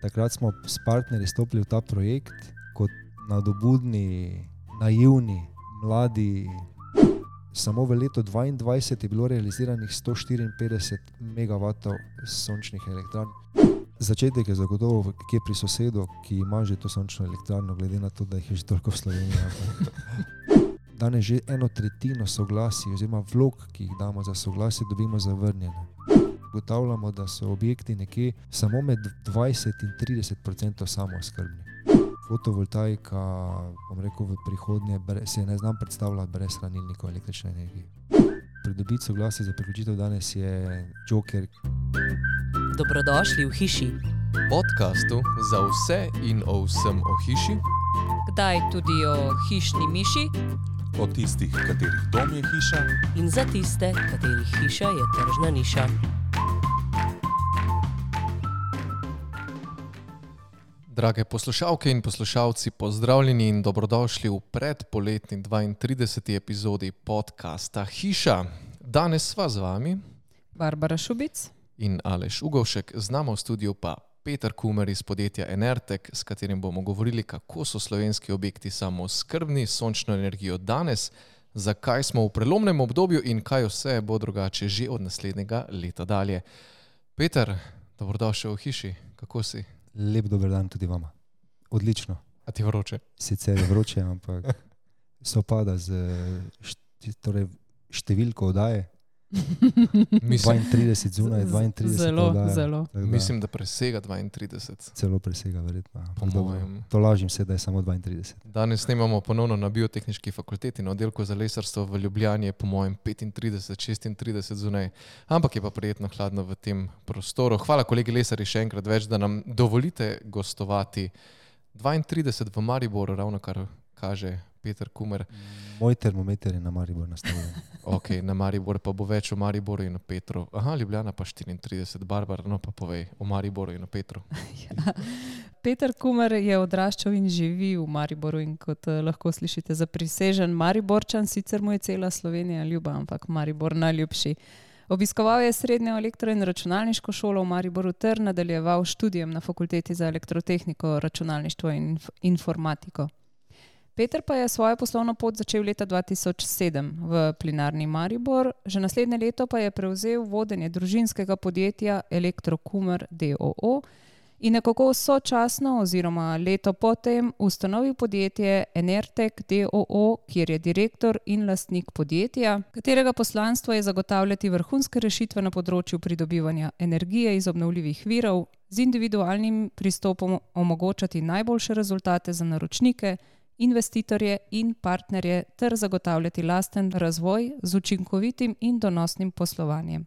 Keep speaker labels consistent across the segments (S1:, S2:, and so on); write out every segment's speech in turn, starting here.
S1: takrat smo s partnerji stopili v ta projekt kot nadobudni, naivni, mladi. Samo v letu 2022 je bilo realiziranih 154 megavatov sončnih elektrarn. Začetek je zagotovo kje pri sosedu, ki ima že to sončno elektrarno, glede na to, da jih je že toliko v Sloveniji. Danes že 1/3 soglasij oziroma vlog, ki jih damo za soglasje, dobimo zavrnjene. Ugotavljamo, da so objekti nekje samo med 20 in 30% samooskrbni. Fotovoltaika, bom rekel, v prihodnje se ne znam predstavljati brez hranilnikov električne energije. Pridobiti soglasje za priključitev danes je joker.
S2: Dobrodošli v hiši.
S3: Podcastu za vse in o vsem o hiši.
S2: Kdaj tudi o hišni miši.
S4: O tistih, katerih dom je hiša.
S2: In za tiste, katerih hiša je tržna niša.
S3: Drage poslušalke in poslušalci, pozdravljeni in dobrodošli v predpoletni 32. epizodi podcasta Hiša. Danes sva z vami
S5: Barbara Šubic
S3: in Aleš Ugovšek, z nama v studiu pa Peter Kumer iz podjetja Enertek, s katerim bomo govorili, kako so slovenski objekti samooskrbni s sončno energijo danes, zakaj smo v prelomnem obdobju in kaj vse bo drugače že od naslednjega leta dalje. Peter, dobrodošel v hiši, kako si?
S1: Lep dober dan tudi vama. Odlično.
S3: A ti vroče?
S1: Sicer je vroče, ampak sopada z številko oddaje. 32 zunaj, 32 oddaje.
S5: Zelo.
S3: Mislim, da presega 32.
S1: Celo presega, verjetno.
S3: mojem.
S1: To lažim se, da je samo 32.
S3: Danes snemamo ponovno na Biotehniški fakulteti na oddelku za lesarstvo v Ljubljani, je po mojem 35-36 zunaj, ampak je pa prijetno hladno v tem prostoru. Hvala kolegi lesari še enkrat več, da nam dovolite gostovati. 32 v Mariboru, ravno kar kaže Peter Kumer.
S1: Moj termometer je na Maribor nastavljen.
S3: Ok, na Maribor pa bo več o Mariboru in o Petru. Aha, Ljubljana pa 34. Barbara, no pa povej o Mariboru in o Petru.
S5: Ja. Peter Kumer je odraščal in živi v Mariboru in kot lahko slišite zaprisežen Mariborčan, sicer mu je cela Slovenija ljuba, ampak Maribor najljubši. Obiskoval je srednjo elektro- in računalniško šolo v Mariboru ter nadaljeval študijem na Fakulteti za elektrotehniko, računalništvo in informatiko. Peter pa je svojo poslovno pot začel leta 2007 v Plinarni Maribor, že naslednje leto pa je prevzel vodenje družinskega podjetja Elektro Kumer d.o.o. in nekako sočasno oziroma leto potem ustanovil podjetje Enertek d.o.o., kjer je direktor in lastnik podjetja, katerega poslanstvo je zagotavljati vrhunske rešitve na področju pridobivanja energije iz obnovljivih virov, z individualnim pristopom omogočati najboljše rezultate za naročnike, investitorje in partnerje ter zagotavljati lasten razvoj z učinkovitim in donosnim poslovanjem.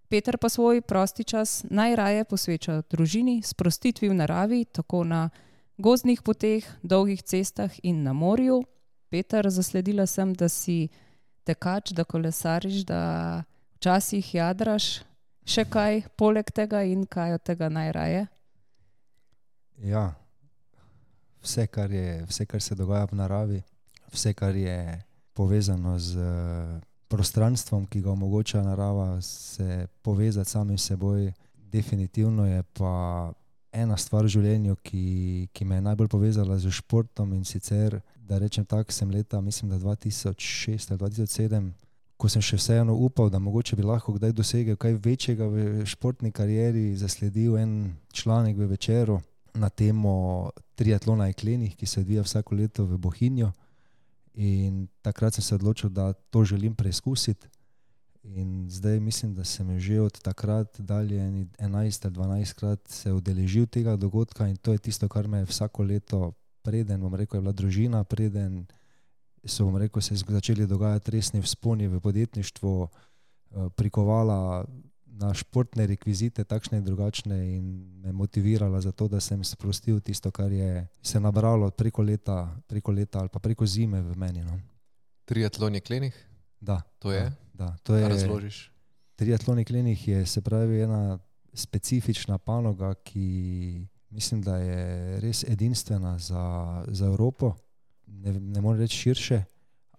S5: Peter pa svoj prosti čas najraje posveča družini, sprostitvi v naravi, tako na gozdnih poteh, dolgih cestah in na morju. Peter, zasledila sem, da si tekač, da kolesariš, da včasih jadraš. Še kaj poleg tega in kaj od tega najraje?
S1: Ja. Vse, kar se dogaja v naravi, vse, kar je povezano z prostranstvom, ki ga omogoča narava, se povezati samim seboj. Definitivno je pa ena stvar v življenju, ki me je najbolj povezala z športom, in sicer, da rečem tako, sem leta, mislim, da 2006 ali 2007, ko sem še vseeno upal, da mogoče bi lahko kdaj dosegel kaj večjega v športni karieri, zasledil en članek v Večeru na temo triatlona jeklenih, ki se odvija vsako leto v Bohinju, in takrat sem se odločil, da to želim preizkusiti, in zdaj mislim, da sem že od takrat dalje 11 ali 12 krat se udeležil tega dogodka, in to je tisto, kar me vsako leto, preden, bom rekel, je bila družina, preden so, bom rekel, se začeli dogajati resni vzponi v podjetništvu, prikovala na športne rekvizite, takšne in drugačne, in me motivirala za to, da sem sprostil tisto, kar je se nabralo preko leta ali pa preko zime v meni. No.
S3: Triatlon jeklenih?
S1: Da.
S3: To je?
S1: Da, to je.
S3: Razložiš?
S1: Triatlon jeklenih je, se pravi, ena specifična panoga, ki mislim, da je res edinstvena za Evropo. Ne morem reči širše,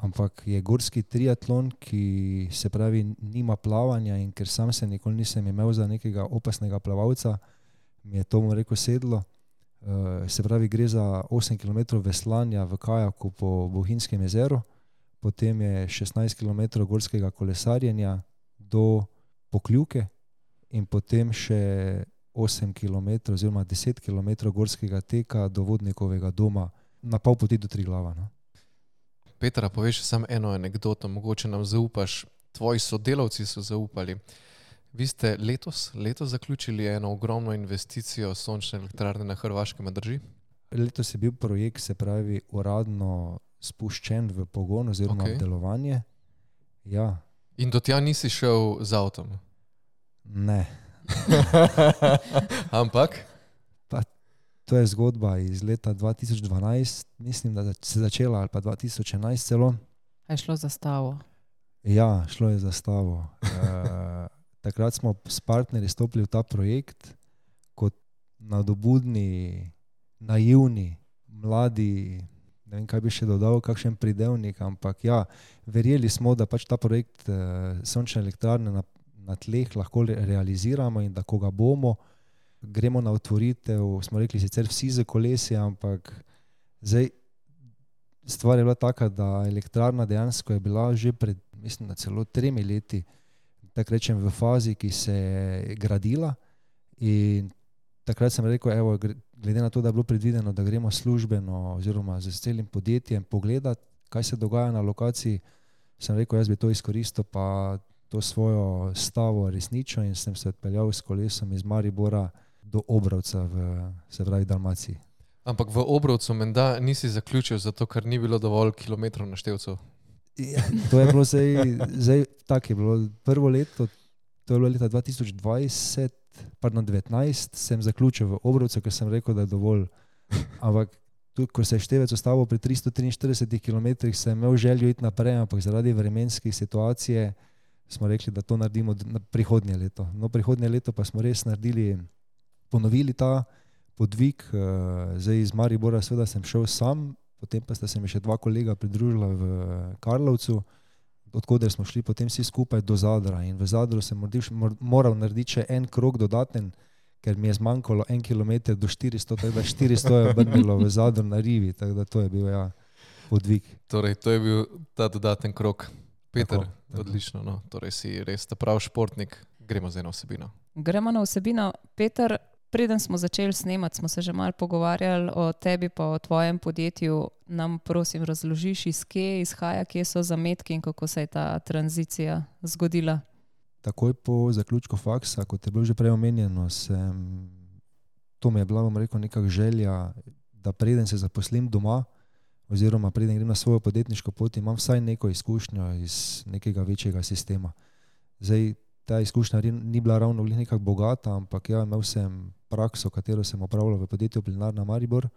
S1: ampak je gorski triatlon, ki se pravi nima plavanja, in ker sam se nikoli nisem imel za nekega opasnega plavalca, mi je to, bom rekel, sedlo. Se pravi, gre za 8 km veslanja v kajaku po Bohinjskem jezeru, potem je 16 km gorskega kolesarjenja do Pokljuke in potem še 8 km oziroma 10 km gorskega teka do Vodnikovega doma, na pol poti do Triglava. No.
S3: Petra, poveš samo eno anekdoto, mogoče nam zaupaš. Tvoji sodelavci so zaupali. Vi ste letos zaključili eno ogromno investicijo sončne elektrarne na Hrvaškem, drži?
S1: Letos je bil projekt, se pravi, uradno spuščen v pogon oziroma v delovanje. Ja.
S3: In do tja nisi šel z avtom?
S1: Ne.
S3: Ampak?
S1: Pa, to je zgodba iz leta 2012, mislim, da se začela, ali pa 2011 celo.
S5: Je šlo za stavo?
S1: Ja, šlo je za stavo. Takrat smo s partnerji stopili v ta projekt kot nadobudni, naivni, mladi, ne vem, kaj bi še dodal, kakšen pridevnik, ampak ja, verjeli smo, da pač ta projekt sončne elektrarne na tleh lahko realiziramo in da ko ga bomo, gremo na otvoritev, smo rekli sicer vsi z kolesi, ampak zdaj stvar je bila taka, da elektrarna dejansko je bila že pred, mislim, da celo 3 leti, tako rečem, v fazi, ki se je gradila in takrat sem rekel, evo, glede na to, da je bilo predvideno, da gremo službeno oziroma z celim podjetjem pogledati, kaj se dogaja na lokaciji, sem rekel, jaz bi to izkoristil pa to svojo stavo resničil in sem se odpeljal s kolesom iz Maribora do Obrovca se pravi Dalmaciji.
S3: Ampak v Obrovcu menda nisi zaključil, zato ker ni bilo dovolj kilometrov na števcu.
S1: Ja, to je bilo zdaj tako je bilo. Prvo leto, to je bilo leta 2020, pardon, 19, sem zaključil v Obrovcu, ker sem rekel, da je dovolj. Ampak tudi, ko se je števec ustavil pri 343 km, sem imel željo iti naprej, ampak zaradi vremenske situacije smo rekli, da to naredimo na prihodnje leto. No, prihodnje leto pa smo res ponovili ta podvig. Zdaj iz Maribora seveda sem šel sam, potem pa sta se mi še 2 kolega pridružila v Karlovcu, odkoder smo šli potem vsi skupaj do Zadra. In v Zadru sem moral narediti še en krog dodaten, ker mi je zmanjkalo 1 km do 400, tako da 400 je obrnilo v Zadru na rivi, tako da to je bil podvig.
S3: Torej, to je bil ta dodaten krog. Peter,
S1: tako.
S3: Odlično, no. Torej si res ta prav športnik. Gremo za eno vsebino.
S5: Gremo na vsebino. Peter, preden smo začeli snemati, smo se že malo pogovarjali o tebi pa o tvojem podjetju. Nam prosim razložiš, iz kje izhaja, kje so zametki in kako se je ta tranzicija zgodila?
S1: Takoj po zaključku faksa, kot je bilo že prej omenjeno, to mi je bila, bom rekel, nekak želja, da preden se zaposlim doma oziroma preden grem na svojo podjetniško pot, imam vsaj neko izkušnjo iz nekega večjega sistema. Zdaj, ta izkušnja ni bila ravno nekako bogata, ampak ja, imel sem prakso, katero sem opravljal v podjetju Plinarna Maribor.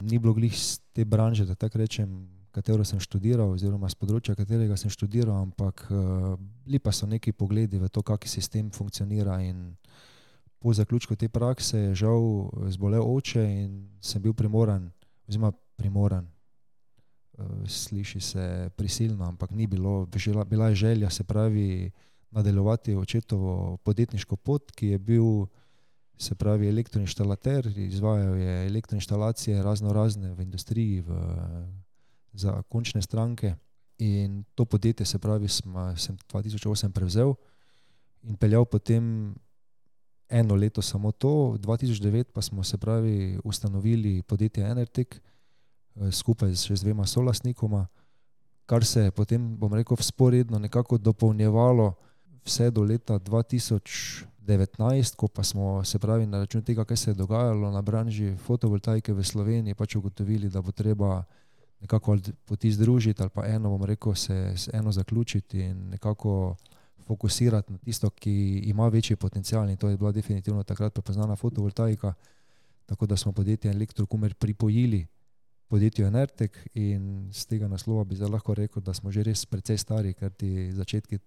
S1: Ni bilo glih z te branže, da tako rečem, katero sem študiral oziroma z področja, katerega sem študiral, ampak bili pa so neki pogledi v to, kak sistem funkcionira in po zaključku te prakse je žal zbolel oče in sem bil primoran, sliši se prisilno, ampak ni bilo, bila je želja, se pravi, nadaljevati očetovo podjetniško pot, ki je bil, se pravi, elektroinštalater, izvajal je elektroinštalacije razne v industriji, za končne stranke in to podjetje, se pravi, sem 2008 prevzel in peljal potem 1 leto samo to, 2009 pa smo, se pravi, ustanovili podjetje Enertek skupaj še z 2 solastnikoma, kar se je potem, bom rekel, vzporedno nekako dopolnjevalo vse do leta 2019, ko pa smo, se pravi, na račun tega, kaj se je dogajalo na branži fotovoltaike v Sloveniji, pač ugotovili, da bo treba nekako poti združiti ali pa bom rekel, se eno zaključiti in nekako fokusirati na tisto, ki ima večji potencial in to je bila definitivno takrat prepoznana fotovoltaika, tako da smo podjetje Elektrokumer pripojili podjetju Enertek in z tega naslova bi zdaj lahko rekel, da smo že res precej stari, ker ti začetki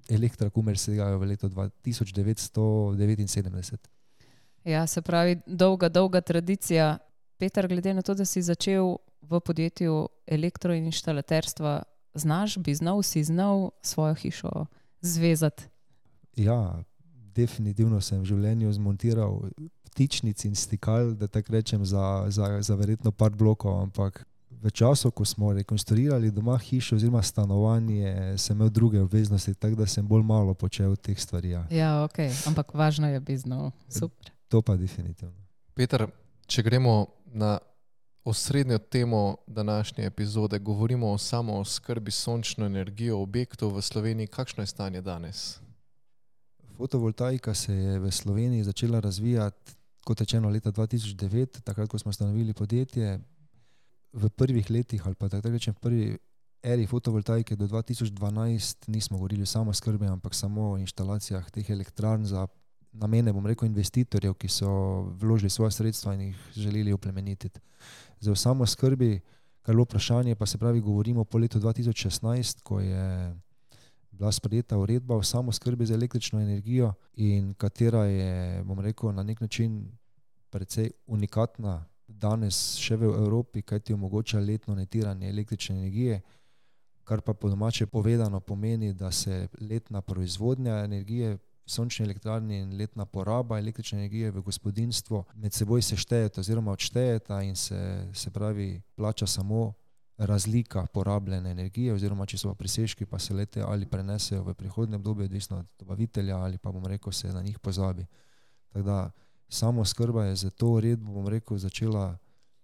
S1: Elektrokumer segajo v leto 1979.
S5: Ja, se pravi, dolga tradicija. Peter, glede na to, da si začel v podjetju elektroinštalaterstva, si znal svojo hišo zvezati?
S1: Ja, definitivno sem v življenju zmontiral vtičnic in stikal, da tako rečem, za verjetno par blokov, ampak v času, ko smo rekonstruirali doma hišo oziroma stanovanje, sem imel druge obveznosti, tako da sem bolj malo počel teh stvari. Ja.
S5: Ja, ok, ampak važno je bizno. Super.
S1: To pa definitivno.
S3: Peter, če gremo na osrednjo temo današnje epizode, govorimo o samooskrbi s sončno energijo objektov v Sloveniji. Kakšno je stanje danes?
S1: Fotovoltaika se je v Sloveniji začela razvijati, kot rečeno, leta 2009, takrat, ko smo ustanovili podjetje. V prvih letih, ali pa tako rečem, v prvi eri fotovoltaike do 2012 nismo govorili o samooskrbi, ampak samo o inštalacijah teh elektrarn za namene, bom rekel, investitorjev, ki so vložili svoja sredstva in jih želeli oplemenititi. Za samooskrbi, kar je vprašanje, pa se pravi, govorimo po letu 2016, ko je bila sprejeta uredba o samooskrbi z električno energijo in katera je, bom rekel, na nek način precej unikatna danes še v Evropi, kaj ti omogoča letno netiranje električne energije, kar pa po domače povedano pomeni, da se letna proizvodnja energije sončne elektrarne in letna poraba električne energije v gospodinjstvu med seboj seštejeta oziroma odštejeta in se pravi plača samo razlika porabljene energije oziroma če so pa presežki, pa se lete ali prenesejo v prihodnje obdobje, odvisno od dobavitelja ali pa, bom rekel, se na njih pozabi. Tako da samooskrba je za to uredbo, bom rekel, začela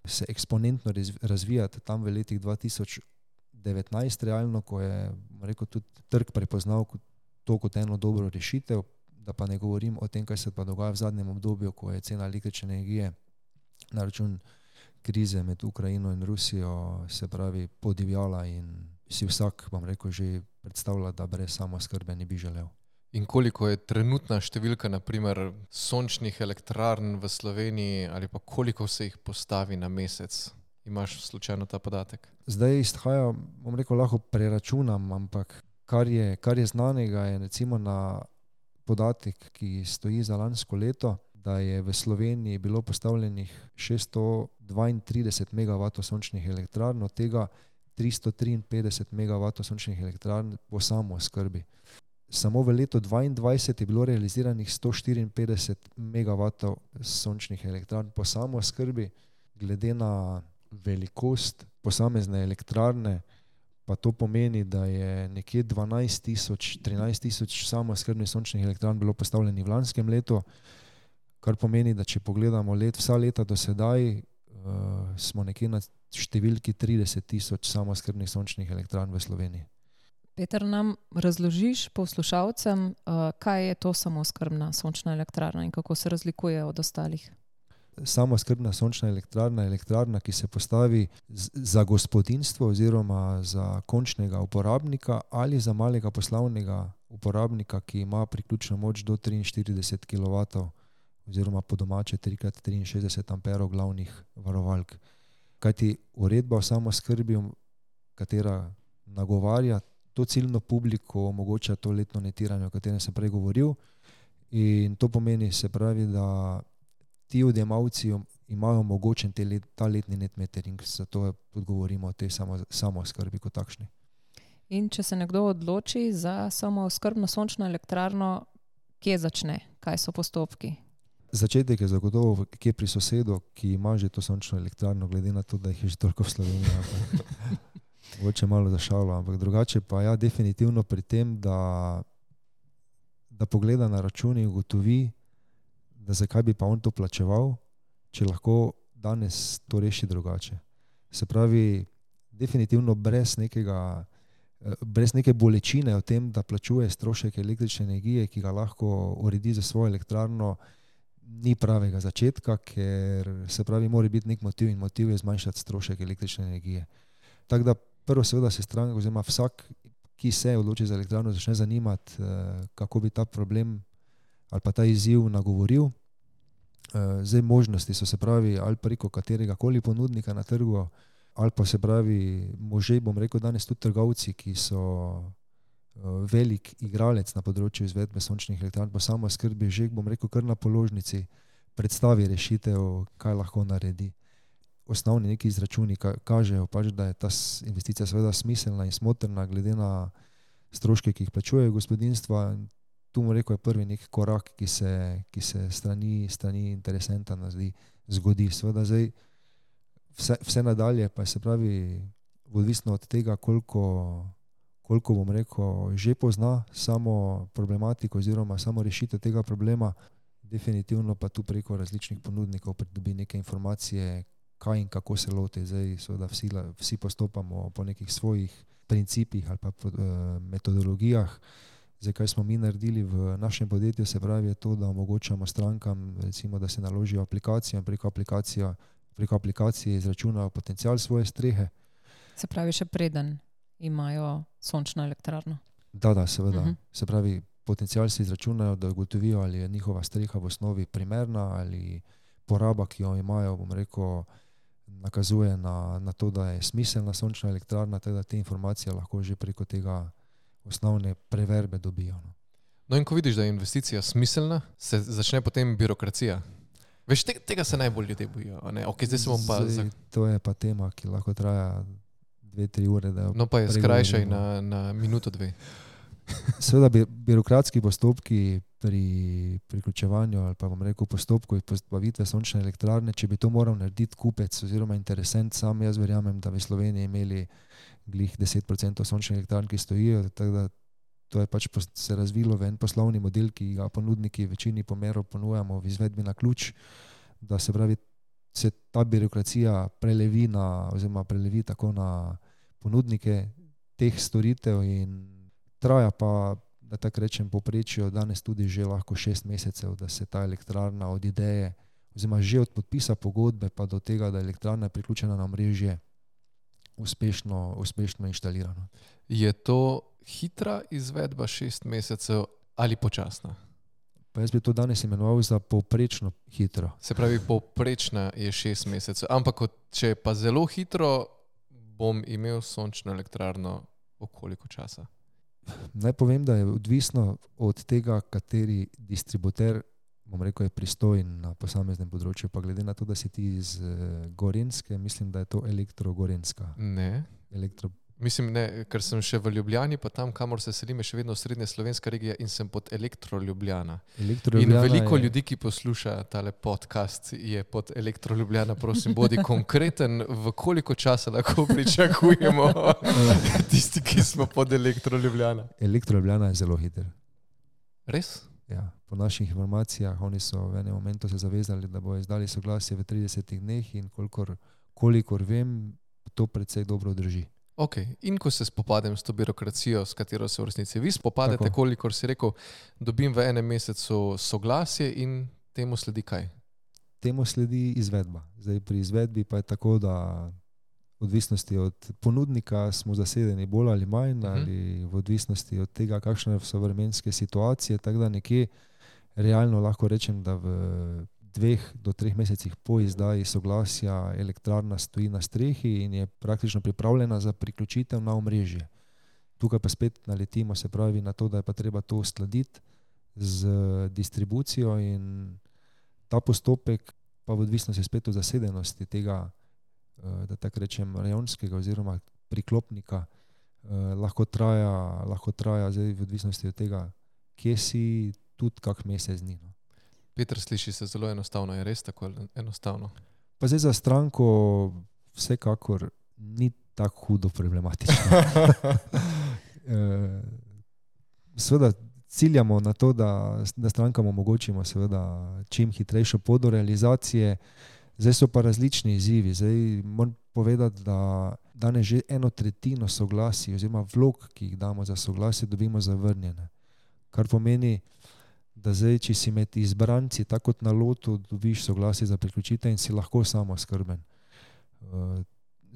S1: se eksponentno razvijati tam v letih 2019 realno, ko je, bom rekel, tudi trg prepoznal to kot eno dobro rešitev, da pa ne govorim o tem, kaj se pa dogaja v zadnjem obdobju, ko je cena električne energije na račun krize med Ukrajino in Rusijo, se pravi, podivjala in si vsak, bom rekel, že predstavlja, da brez samooskrbe ne bi želel.
S3: In koliko je trenutna številka, naprimer, sončnih elektrarn v Sloveniji ali pa koliko se jih postavi na mesec? Imaš slučajno ta podatek?
S1: Zdaj izhaja, bom rekel, lahko preračunam, ampak kar je znanega, je recimo na podatek, ki stoji za lansko leto, da je v Sloveniji bilo postavljenih 632 MW sončnih elektrarn, od tega 353 MW sončnih elektrarn po samooskrbi. Samo v letu 2022 je bilo realiziranih 154 MW sončnih elektrarn po samooskrbi. Glede na velikost posamezne elektrarne pa to pomeni, da je nekje 13 000 samooskrbnih sončnih elektrarn bilo postavljenih v lanskem letu, kar pomeni, da če pogledamo vsa leta do sedaj, smo nekje na številki 30 000 samooskrbnih sončnih elektrarn v Sloveniji.
S5: Peter, nam razložiš poslušalcem, kaj je to samooskrbna sončna elektrarna in kako se razlikuje od ostalih?
S1: Samooskrbna sončna elektrarna je elektrarna, ki se postavi za gospodinjstvo oziroma za končnega uporabnika ali za malega poslovnega uporabnika, ki ima priključno moč do 43 kW oziroma po domače 3x63 amperov glavnih varovalk. Kajti uredba o samooskrbi, katera nagovarja to ciljno publiko, omogoča to letno netiranje, o katerem sem prej govoril, in to pomeni, se pravi, da ti odjemalci imajo omogočen ta letni net metering, zato tudi govorimo o tej samooskrbi kot takšni.
S5: In če se nekdo odloči za samooskrbno sončno elektrarno, kje začne? Kaj so postopki?
S1: Začetek je zagotovo kje pri sosedu, ki ima že to sončno elektrarno, glede na to, da jih je že toliko v Sloveniji. Mogoče malo za šalo, ampak drugače pa ja, definitivno pri tem, da pogleda na račun in ugotovi, da zakaj bi pa on to plačeval, če lahko danes to reši drugače. Se pravi, definitivno brez neke bolečine o tem, da plačuje strošek električne energije, ki ga lahko uredi za svojo elektrarno, ni pravega začetka, ker se pravi, mora biti nek motiv in motiv je zmanjšati strošek električne energije. Tako da prvo seveda se stranka oziroma vsak, ki se odloči za elektrarno, začne zanimati, kako bi ta problem ali pa ta izziv nagovoril. Zdaj možnosti so, se pravi, ali preko katerega koli ponudnika na trgu, ali pa se pravi može, bom rekel danes tudi trgovci, ki so velik igralec na področju izvedbe sončnih elektrarn po samooskrbi, že bom rekel kar na položnici predstavi rešitev, kaj lahko naredi. Osnovni neki izračuni kažejo pač, da je ta investicija seveda smiselna in smotrna glede na stroške, ki jih plačujejo gospodinjstva. tu mu rekel, je prvi nek korak, ki se strani interesenta zgodi. Seveda zdaj vse nadalje pa se pravi odvisno od tega, koliko bom rekel, že pozna samo problematiko oziroma samo rešitev tega problema, definitivno pa tu preko različnih ponudnikov pridobi neke informacije, kaj in kako se loti. Zdaj seveda vsi postopamo po nekih svojih principih ali pa metodologijah. Zdaj, kaj smo mi naredili v našem podjetju, se pravi je to, da omogočamo strankam, recimo, da se naložijo aplikacijo in preko aplikacije izračunajo potencial svoje strehe.
S5: Se pravi, še preden imajo sončno elektrarno.
S1: Da, seveda. Se pravi, potencial se izračunajo, da ugotovijo, ali je njihova streha v osnovi primerna ali poraba, ki jo imajo, bom rekel, nakazuje na to, da je smiselna sončna elektrarna, teda te informacije lahko že preko tega osnovne preverbe dobijo.
S3: No in ko vidiš, da je investicija smiselna, se začne potem birokracija. Veš, tega se najbolj ljudje bojijo. Okay, zdaj se bom pa...
S1: To je pa tema, ki lahko traja 2-3 ure.
S3: No pa je skrajšaj na minuto 2.
S1: Seveda birokratski postopki pri priključevanju ali pa bom rekel postopku postavitve sončne elektrarne, če bi to moral narediti kupec oziroma interesent sam, jaz verjamem, da bi Sloveniji imeli glih 10% sončnih elektrarn, ki stojijo, tako da to je pač se razvilo v en poslovni model, ki ga ponudniki v večini pomerov ponujamo v izvedbi na ključ, da se pravi, se ta birokracija prelevi tako na ponudnike teh storitev in traja pa, da tako rečem, povprečju danes tudi že lahko 6 mesecev, da se ta elektrarna od ideje, oziroma že od podpisa pogodbe pa do tega, da elektrarna je priključena na omrežje, uspešno inštalirana.
S3: Je to hitra izvedba 6 mesecev ali počasna?
S1: Pa jaz bi to danes imenoval za povprečno hitro.
S3: Se pravi, povprečna je 6 mesecev, ampak če je pa zelo hitro, bom imel sončno elektrarno v koliko časa?
S1: Naj povem, da je odvisno od tega, kateri distributer, bom rekel, je pristojen na posameznem področju. Pa glede na to, da si ti iz Gorenjske, mislim, da je to Elektro-Gorenjska.
S3: Ne. Mislim, ne, ker sem še v Ljubljani, pa tam, kamor se selim, je še vedno srednja slovenska regija in sem pod Elektro-Ljubljana. In veliko ljudi, ki posluša tale podcast, je pod Elektro-Ljubljana. Prosim, bodi konkreten, v koliko časa lahko pričakujemo tisti, ki smo pod Elektro-Ljubljana.
S1: Elektro-Ljubljana je zelo hiter.
S3: Res?
S1: Ja, po naših informacijah, oni so v enem momentu se zavezali, da bodo izdali soglasje v 30 dneh in kolikor vem, to precej dobro drži.
S3: Ok, in ko se spopadem s to birokracijo, s katero se v resnici vi spopadete, kolikor si rekel, dobim v enem mesecu soglasje in temu sledi kaj?
S1: Temu sledi izvedba. Zdaj pri izvedbi pa je tako, da odvisnosti od ponudnika smo zasedeni bolj ali manj, ali v odvisnosti od tega, kakšne so vremenske situacije, tako da nekje realno lahko rečem, da v 2 do 3 mesecih po izdaji soglasja elektrarna stoji na strehi in je praktično pripravljena za priključitev na omrežje. Tukaj pa spet naletimo, se pravi, na to, da je pa treba to uskladiti z distribucijo in ta postopek pa v odvisnosti spet od zasedenosti tega, da tako rečem, rajonskega oziroma priklopnika lahko traja zdaj v odvisnosti od tega, kje si, tudi kak mesec dni.
S3: Peter, sliši se zelo enostavno, je res tako enostavno?
S1: Pa zdaj za stranko vsekakor ni tako hudo problematično. Seveda ciljamo na to, da strankam omogočimo seveda čim hitrejšo pot do realizacije. Zdaj so pa različni izzivi. Zdaj moram povedati, da danes že 1/3 soglasij oziroma vlog, ki jih damo za soglasje, dobimo zavrnjene. Kar pomeni, da zdaj, če si med izbranci, tako kot na lotu, dobiš soglasje za priključitev in si lahko samoskrben.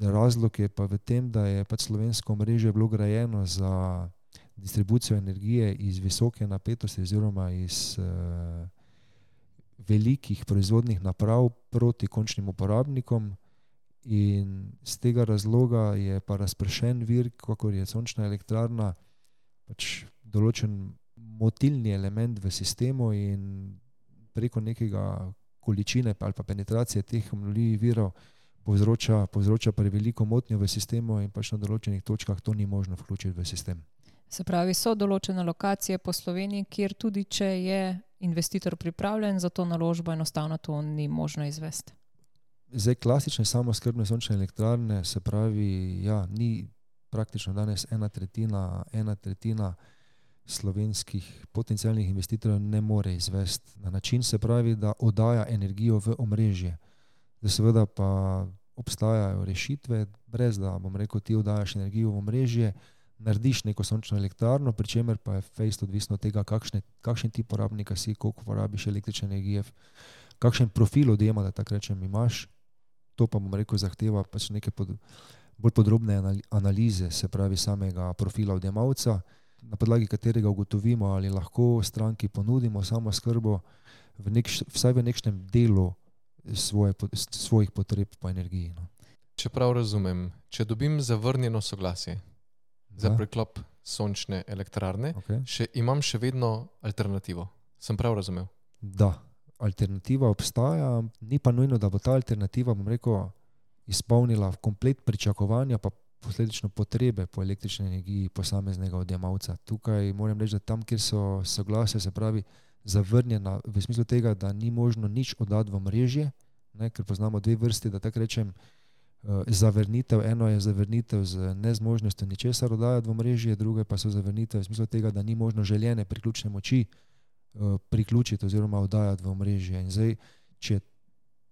S1: Razlog je pa v tem, da je pač slovensko omrežje bilo grajeno za distribucijo energije iz visoke napetosti oziroma iz velikih proizvodnih naprav proti končnim uporabnikom in z tega razloga je pa razpršen vir, kakor je sončna elektrarna, pač določen motilni element v sistemu in preko nekega količine ali pa penetracije teh obnovljivih virov povzroča preveliko motnjo v sistemu in pač na določenih točkah to ni možno vključiti v sistem.
S5: Se pravi, so določene lokacije po Sloveniji, kjer tudi če je investitor pripravljen za to naložbo, enostavno to ni možno izvesti.
S1: Zdaj klasične samooskrbne sončne elektrarne, se pravi, ja, ni praktično danes ena tretjina slovenskih potencialnih investitorjev ne more izvesti na način, se pravi, da oddaja energijo v omrežje. Da seveda pa obstajajo rešitve, brez da, bom rekel, ti oddajaš energijo v omrežje, narediš neko sončno elektrarno, pri čemer pa je fejst odvisno od tega, kakšen tip porabnika si, koliko porabiš električne energije, kakšen profil odjema, da tako rečem, imaš. To pa, bom rekel, zahteva pač neke bolj podrobne analize, se pravi samega profila odjemalca, na podlagi katerega ugotovimo, ali lahko stranki ponudimo samooskrbo vsaj v nekšnem delu svojih potreb po energiji. No.
S3: Če prav razumem, če dobim zavrnjeno soglasje za preklop sončne elektrarne, imam še vedno alternativo. Sem prav razumel?
S1: Da, alternativa obstaja, ni pa nujno, da bo ta alternativa, bom rekel, izpolnila komplet pričakovanja pa posledično potrebe po električni energiji posameznega odjemalca. Tukaj moram reči, da tam, kjer so soglasja, se pravi zavrnjena v smislu tega, da ni možno nič oddati v mrežje, ker poznamo dve vrsti, da tako rečem, zavrnitev. Eno je zavrnitev z nezmožnostjo ničesar oddajati v mrežje, druge pa so zavrnitev v smislu tega, da ni možno željene priključne moči priključiti oziroma oddajati v mrežje. In zdaj, če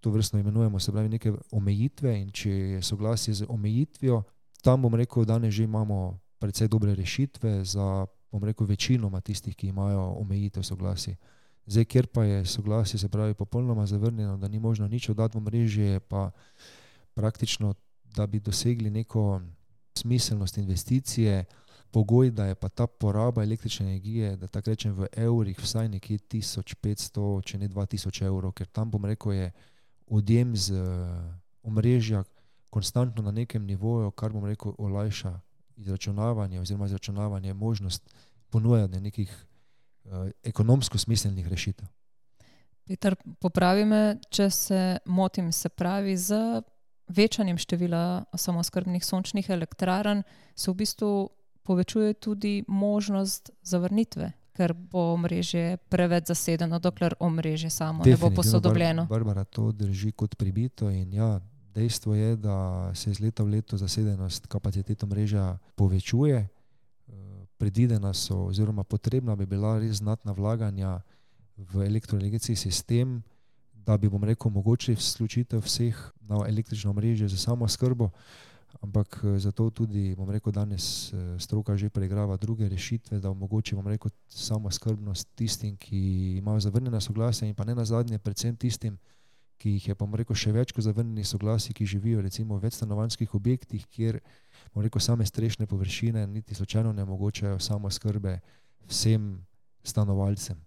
S1: to vrstno imenujemo, se pravi neke omejitve, in če je soglasje z omejitvijo, tam, bom rekel, danes že imamo precej dobre rešitve za, bom rekel, večinoma tistih, ki imajo omejitev soglasij. Zdaj, kjer pa je soglasje, se pravi popolnoma zavrnjeno, da ni možno nič oddati v mrežje, pa praktično, da bi dosegli neko smiselnost investicije, pogoj, da je pa ta poraba električne energije, da tako rečem v evrih, vsaj nekje 1500, če ne 2000 evrov, ker tam, bom rekel, je odjem z omrežja konstantno na nekem nivoju, kar, bom rekel, olajša izračunavanje oziroma izračunavanje možnost ponujanja nekih ekonomsko smiselnih rešitev.
S5: Peter, popravi me, če se motim, se pravi, z večanjem števila samooskrbnih sončnih elektrarn se v bistvu povečuje tudi možnost zavrnitve, ker bo omrežje preveč zasedeno, dokler omrežje samo ne bo posodobljeno.
S1: Barbara, to drži kot pribito in ja, dejstvo je, da se iz leta v leto zasedenost kapacitet omrežja povečuje. Predvidena so oziroma potrebna bi bila res znatna vlaganja v elektroenergetski sistem, da bi, bom rekel, mogoče vključitev vseh na električno omrežje za samooskrbo, ampak zato tudi, bom rekel, danes stroka že preigrava druge rešitve, da omogoči, bom rekel, samooskrbnost tistim, ki imajo zavrnjena soglasja in pa ne nazadnje predvsem tistim, ki jih je, bom rekel, še več kot zavrnjenih soglasij, ki živijo recimo v večstanovanjskih objektih, kjer, bom rekel, same strešne površine niti slučajno ne omogočajo samooskrbe vsem stanovalcem.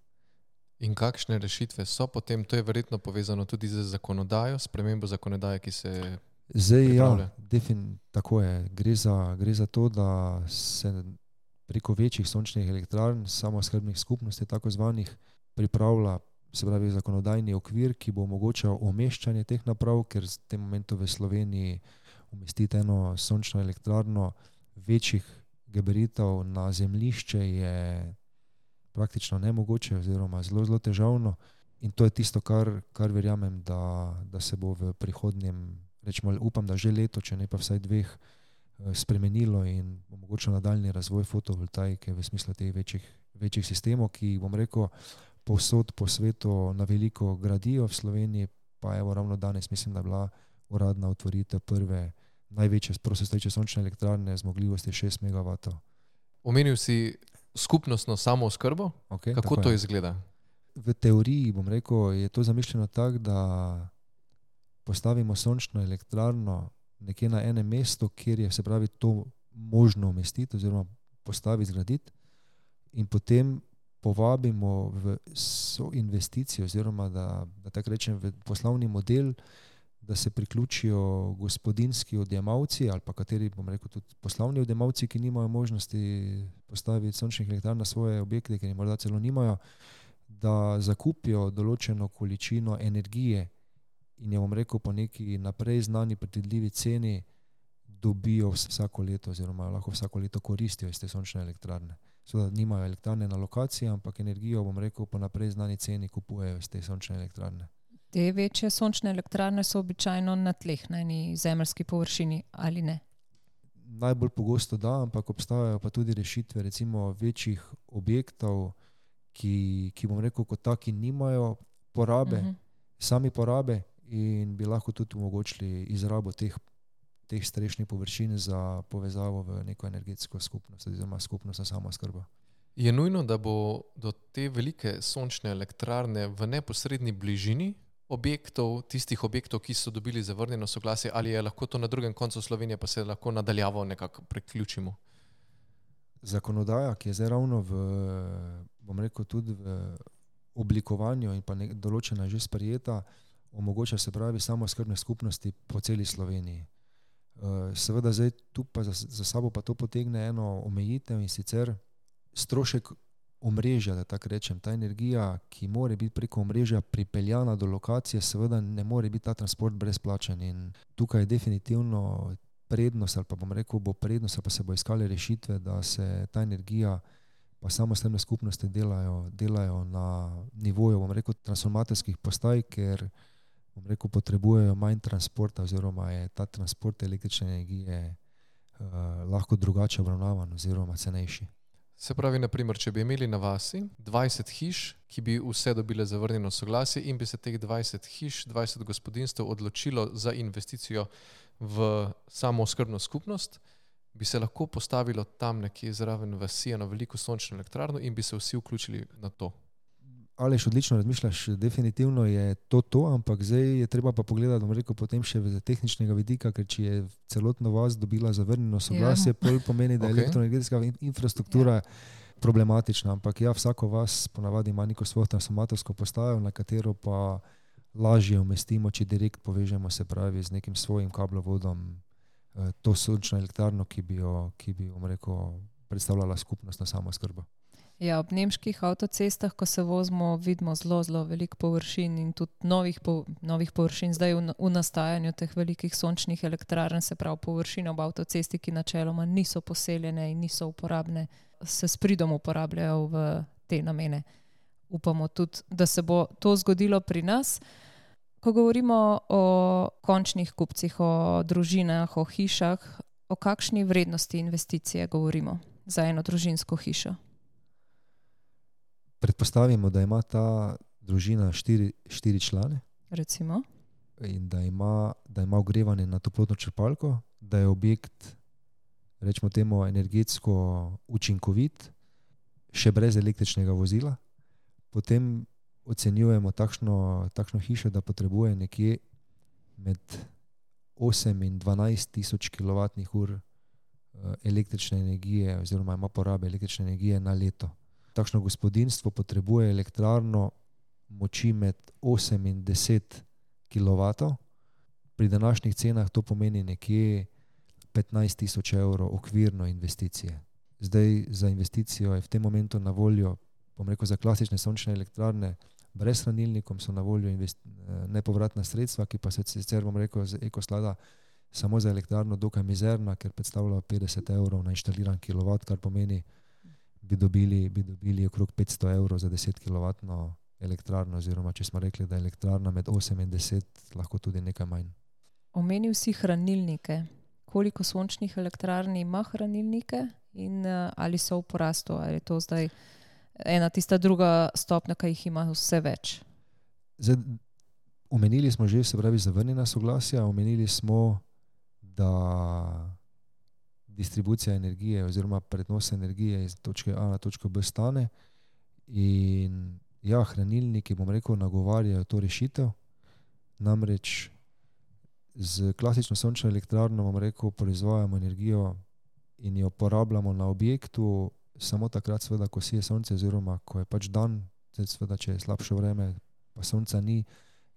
S3: In kakšne rešitve so potem? To je verjetno povezano tudi z zakonodajo, spremembo zakonodaje, ki se pripravlja.
S1: Tako je. Gre za to, da se preko večjih sončnih elektrarn, samooskrbnih skupnosti, tako zvanih, pripravlja, se pravi, zakonodajni okvir, ki bo omogočal umeščanje teh naprav, ker v tem momentu v Sloveniji umestiti eno sončno elektrarno večjih gabaritov na zemljišče je praktično nemogoče oziroma zelo, zelo težavno. In to je tisto, kar verjamem, da se bo v prihodnjem, rečemo, upam, da že leto, če ne pa vsaj 2, spremenilo in omogočilo nadaljni razvoj fotovoltaike v smislu teh večjih sistemov, ki, bom rekel, povsod po svetu na veliko gradijo, v Sloveniji pa evo ravno danes mislim, da je bila uradna otvoritev prve največje prostostoječe sončne elektrarne zmogljivosti 6 MW.
S3: Omenil si skupnostno samooskrbo?
S1: Okay,
S3: kako to izgleda?
S1: V teoriji, bom rekel, je to zamišljeno tako, da postavimo sončno elektrarno nekje na enem mestu, kjer je, se pravi, to možno umestiti oziroma postaviti, zgraditi, in potem povabimo v soinvesticijo oziroma da tako rečem v poslovni model, da se priključijo gospodinjski odjemalci ali pa kateri, bom rekel, tudi poslovni odjemalci, ki nimajo možnosti postaviti sončnih elektrarn na svoje objekte, ker jih morda celo nimajo, da zakupijo določeno količino energije in jo, bom rekel, po neki naprej znani predvidljivi ceni dobijo vsako leto oziroma lahko vsako leto koristijo iz te sončne elektrarne. Seveda nimajo elektrarne na lokaciji, ampak energijo, bom rekel, po naprej znani ceni kupujejo iz te sončne elektrarne.
S5: Te večje sončne elektrarne so običajno na tleh, na eni zemeljski površini, ali ne?
S1: Najbolj pogosto da, ampak obstajajo pa tudi rešitve recimo večjih objektov, ki bom rekel, kot taki nimajo porabe, sami porabe in bi lahko tudi omogočili izrabo teh strešnih površin za povezavo v neko energetsko skupnost oziroma skupnostno samooskrbo.
S3: Je nujno, da bo do te velike sončne elektrarne v neposredni bližini objektov, tistih objektov, ki so dobili zavrnjeno soglasje, ali je lahko to na drugem koncu Slovenije, pa se lahko nadaljavo nekako priključimo?
S1: Zakonodaja, ki je zdaj ravno bom rekel, tudi v oblikovanju in pa določena že sprejeta, omogoča se pravi samooskrbne skupnosti po celi Sloveniji. Seveda zdaj tu pa za sabo pa to potegne eno omejitev, in sicer strošek omrežja, da tako rečem. Ta energija, ki more biti preko omrežja pripeljana do lokacije, seveda ne more biti ta transport brezplačen, in tukaj je definitivno prednost, ali pa bom rekel, bo prednost, ali pa se bo iskale rešitve, da se ta energija pa samooskrbne skupnosti delajo na nivoju, bom rekel, transformatorskih postaj, ker bom rekel, potrebujejo manj transporta oziroma je ta transport električne energije lahko drugače obravnavan oziroma cenejši.
S3: Se pravi, naprimer, če bi imeli na vasi 20 hiš, ki bi vse dobile zavrnjeno soglasje in bi se teh 20 hiš, 20 gospodinstv odločilo za investicijo v samooskrbno skupnost, bi se lahko postavilo tam nekje zraven vasi eno veliko sončno elektrarno in bi se vsi vključili na to.
S1: Aleš, odlično razmišljaš, definitivno je to, ampak zdaj je treba pa pogledati, bom rekel, potem še z tehničnega vidika, ker če je celotno vas dobila zavrnjeno soglasje, pol pomeni, da je elektroenergetska infrastruktura problematična, ampak vsako vas ponavadi ima neko svojo transformatorsko postajo, na katero pa lažje umestimo, če direkt povežemo, se pravi, z nekim svojim kablovodom to sončno elektrarno, ki bi bom rekel, predstavljala skupnostno samooskrbo.
S5: Ja, ob nemških avtocestah, ko se vozimo, vidimo zelo veliko površin in tudi novih površin zdaj v nastajanju teh velikih sončnih elektrarn, se pravi površine ob avtocesti, ki načeloma niso poseljene in niso uporabne, se s pridom uporabljajo v te namene. Upamo tudi, da se bo to zgodilo pri nas. Ko govorimo o končnih kupcih, o družinah, o hišah, o kakšni vrednosti investicije govorimo za eno družinsko hišo?
S1: Predpostavimo, da ima ta družina 4 člane.
S5: Recimo.
S1: In da ima ogrevanje na toplotno črpalko, da je objekt, rečemo temu, energetsko učinkovit, še brez električnega vozila. Potem ocenjujemo takšno hišo, da potrebuje nekje med 8 in 12 tisoč kWh električne energije oziroma ima porabe električne energije na leto. Takšno gospodinjstvo potrebuje elektrarno moči med 8 in 10 kW. Pri današnjih cenah to pomeni nekje 15 tisoč evrov okvirno investicije. Zdaj za investicijo je v tem momentu na voljo, bom rekel, za klasične sončne elektrarne brez hranilnikom so na voljo nepovratna sredstva, ki pa se sicer, bom rekel, z Ekosklada samo za elektrarno dokaj mizerna, ker predstavlja 50 evrov na inštaliran kilovat, kar pomeni, bi dobili okrog 500 evrov za 10 kW elektrarno, oziroma če smo rekli, da je elektrarna med 8 in 10, lahko tudi nekaj manj.
S5: Omenil si hranilnike. Koliko sončnih elektrarn ima hranilnike in ali so v porastu? Ali je to zdaj ena tista druga stopnja, ki jih ima vse več?
S1: Zdaj, omenili smo že, se pravi, zavrnjena soglasja, omenili smo, da distribucija energije oziroma prenos energije iz točke A na točko B stane in hranilniki, bom rekel, nagovarjajo to rešitev. Namreč z klasično sončno elektrarno, bom rekel, proizvajamo energijo in jo porabljamo na objektu samo takrat, seveda, ko sije sonce oziroma ko je pač dan, seveda, če je slabše vreme, pa sonca ni,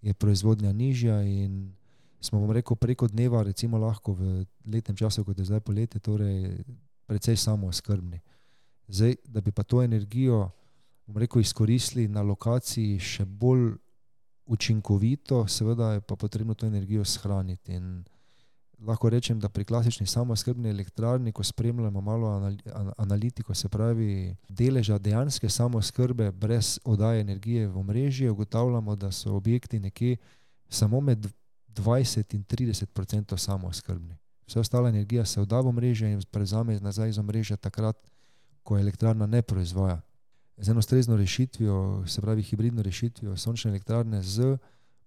S1: je proizvodnja nižja in smo, bom rekel, preko dneva recimo lahko v letnem času, kot je zdaj poletje, torej precej samooskrbni. Zdaj, da bi pa to energijo, bom rekel, izkoristili na lokaciji še bolj učinkovito, seveda je pa potrebno to energijo shraniti in lahko rečem, da pri klasični samooskrbni elektrarni, ko spremljamo malo analitiko, se pravi deleža dejanske samooskrbe brez oddaje energije v omrežje, ugotavljamo, da so objekti nekje samo med 20 in 30% samooskrbni. Vsa ostala energija se odda v omrežje in prevzame nazaj iz omrežja takrat, ko elektrarna ne proizvaja. Z eno ustrezno rešitvijo, se pravi hibridno rešitvijo sončne elektrarne z